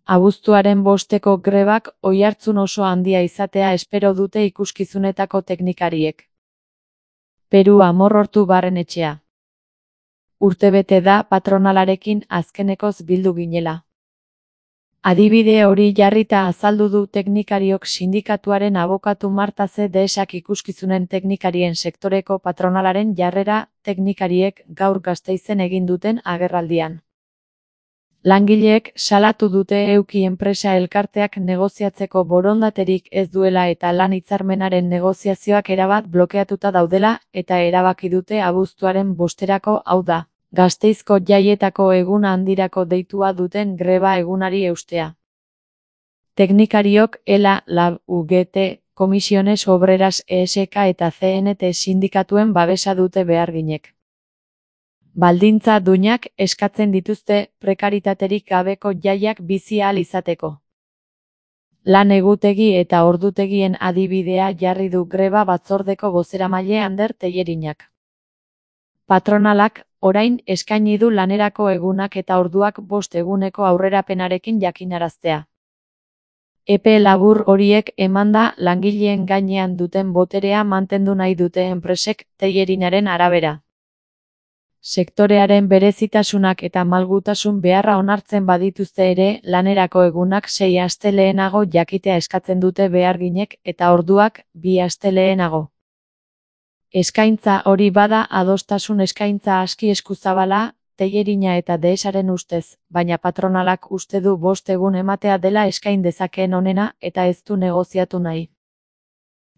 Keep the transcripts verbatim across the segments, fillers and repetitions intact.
Abuztuaren bosteko grebak oihartzun oso handia izatea espero dute ikuskizunetako teknikariek. Peru Amorortu Barrenetxea. Urtebete da patronalarekin azkenekoz bildu ginela. Adibide hori jarrita azaldu du teknikariok sindikatuaren abokatu Marta C. Deesak ikuskizunen teknikarien sektoreko patronalaren jarrera teknikariek gaur Gasteizen egin duten agerraldian. Langileek salatu dute Euki enpresa elkarteak negoziatzeko borondaterik ez duela eta lan hitzarmenaren negoziazioak erabat blokeatuta daudela eta erabaki dute abuztuaren bosterako, hau da, Gasteizko jaietako egun handirako deitua duten greba egunari eustea. Teknikariok ELA, LAB, U G T, Comisiones Obreras E S K eta C N T sindikatuen babesa dute beharginek. Baldintza duinak eskatzen dituzte prekaritaterik gabeko jaiak bizi ahal izateko. Lan egutegi eta ordutegien adibidea jarri du greba batzordeko bozeramaile Ander Tellerinak. Patronalak, orain eskaini du lanerako egunak eta orduak bost eguneko aurrerapenarekin jakinaraztea. Epe labur horiek emanda langileen gainean duten boterea mantendu nahi dute enpresek, Tellerinaren arabera. Sektorearen berezitasunak eta malgutasun beharra onartzen badituzte ere, lanerako egunak sei aste lehenago jakitea eskatzen dute beharginek eta orduak bi aste lehenago. Eskaintza hori bada adostasun eskaintza aski eskuzabala, Tellerina eta Deesaren ustez, baina patronalak uste du bost egun ematea dela eskain dezakeen onena eta ez du negoziatu nahi.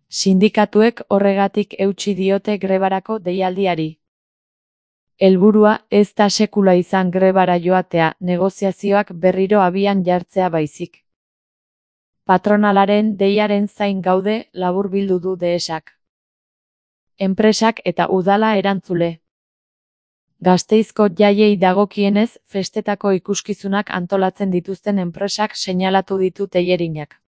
Sindikatuek horregatik eutsi diote grebarako deialdiari. Helburua ez da sekula izan grebara joatea, negoziazioak berriro abian jartzea baizik. Patronalaren deiaren zain gaude, laburbildu du Deesak. Enpresak eta udala erantzule. Gasteizko jaiei dagokienez, festetako ikuskizunak antolatzen dituzten enpresak seinalatu ditu Tellerinak.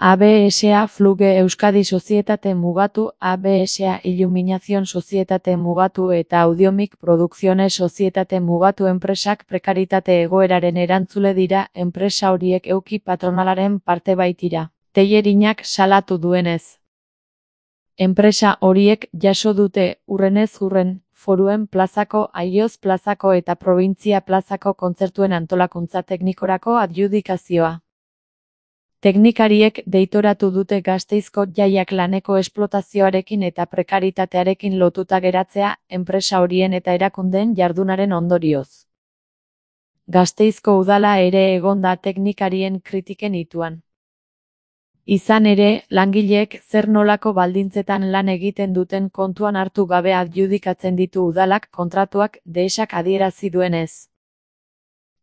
A B S A Fluge Euskadi Sozietate Mugatu, A B S A Illuminación Sozietate Mugatu eta Audiomic Producciones Sozietate Mugatu enpresak prekaritate egoeraren erantzule dira, enpresa horiek Euki patronalaren parte baitira, Tellerinak salatu duenez. Enpresa horiek jaso dute, urrenez urren, Foruen plazako, Aioz plazako eta Probintzia plazako kontzertuen antolakuntza teknikorako adjudikazioa. Teknikariek deitoratu dute Gasteizko jaiak laneko esplotazioarekin eta prekaritatearekin lotuta geratzea, enpresa horien eta erakundeen jardunaren ondorioz. Gasteizko udala ere egon da teknikarien kritiken ituan. Izan ere, langileek zer nolako baldintzetan lan egiten duten kontuan hartu gabe adjudikatzen ditu udalak kontratuak, Deesak adierazi duenez.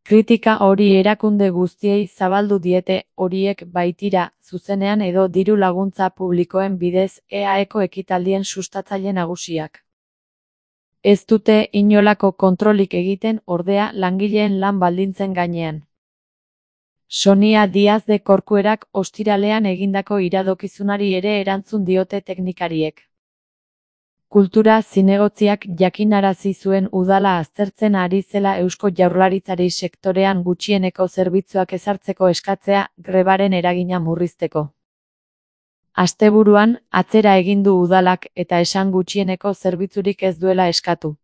Kritika hori erakunde guztiei zabaldu diete, horiek baitira, zuzenean edo diru laguntza publikoen bidez, E A Eko ekitaldien sustatzaile nagusiak. Ez dute inolako kontrolik egiten, ordea, langileen lan baldintzen gainean. Sonia Diaz de Corcuerak ostiralean egindako iradokizunari ere erantzun diote teknikariek. Kultura zinegotziak jakinarazi zuen udala aztertzen ari zela Eusko Jaurlaritzari sektorean gutxieneko zerbitzuak ezartzeko eskatzea, grebaren eragina murrizteko. Asteburuan, atzera egin du udalak eta esan gutxieneko zerbitzurik ez duela eskatu.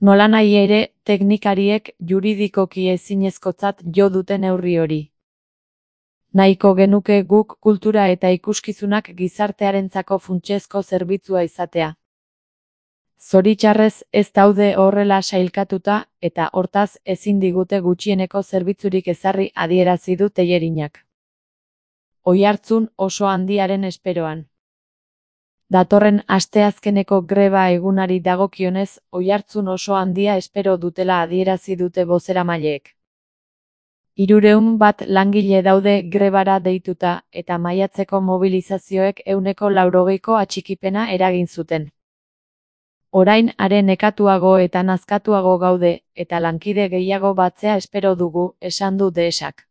Nolanahi ere, teknikariek juridikoki ezinezkotzat jo dute neurri hori. Nahiko genuke guk kultura eta ikuskizunak gizartearentzako funtsezko zerbitzua izatea. Zoritxarrez ez daude horrela sailkatuta, eta hortaz ezin digute gutxieneko zerbitzurik ezarri adierazi du Tellerinak. Oihartzun oso handiaren esperoan. Datorren asteazkeneko greba egunari dagokionez, oihartzun oso handia espero dutela adierazi dute bozeramaileek. Hirurehun bat langile daude grebara deituta, eta maiatzeko mobilizazioek ehuneko laurogeiko atxikipena eragin zuten. Orain are nekatuago eta nazkatuago gaude, eta lankide gehiago batzea espero dugu, esan du Deesak.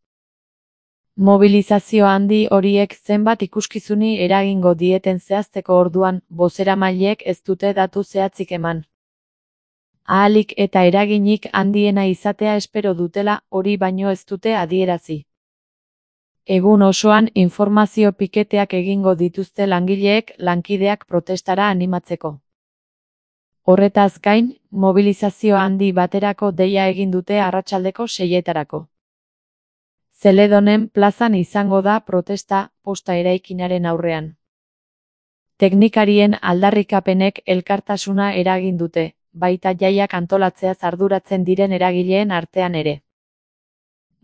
Mobilizazio handi horiek zenbat ikuskizuni eragingo dieten zehazteko orduan, bozeramaileek ez dute datu zehatzik eman. ahalik eta eraginik handiena izatea espero dutela, hori baino ez dute adierazi. Egun osoan informazio piketeak egingo dituzte langileek lankideak protestara animatzeko. Horretaz gain, mobilizazio handi baterako deia egin dute arratsaldeko seietarako. Zeledonen plazan izango da protesta, posta eraikinaren aurrean. Teknikarien aldarrikapenek elkartasuna eragin dute, baita jaiak antolatzeaz arduratzen diren eragileen artean ere.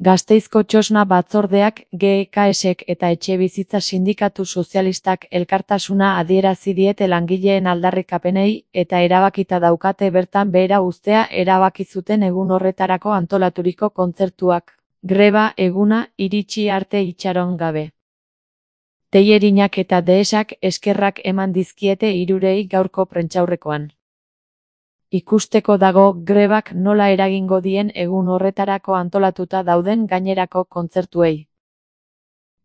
Gasteizko Txosna batzordeak, G E K S-ek eta Etxebizitza Sindikatu Sozialistak elkartasuna adierazi diete langileen aldarrikapenei eta erabakita daukate bertan behera uztea erabaki zuten egun horretarako antolaturiko kontzertuak, greba eguna iritsi arte itxaron gabe. Tellerinak eta Deesak eskerrak eman dizkiete hirurei gaurko prentsaurrekoan. Ikusteko dago grebak nola eragingo dien egun horretarako antolatuta dauden gainerako kontzertuei.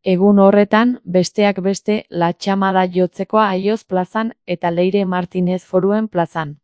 Egun horretan, besteak beste, La Txamada Jotzekoa Aioz plazan eta Leire Martinez Foruen plazan.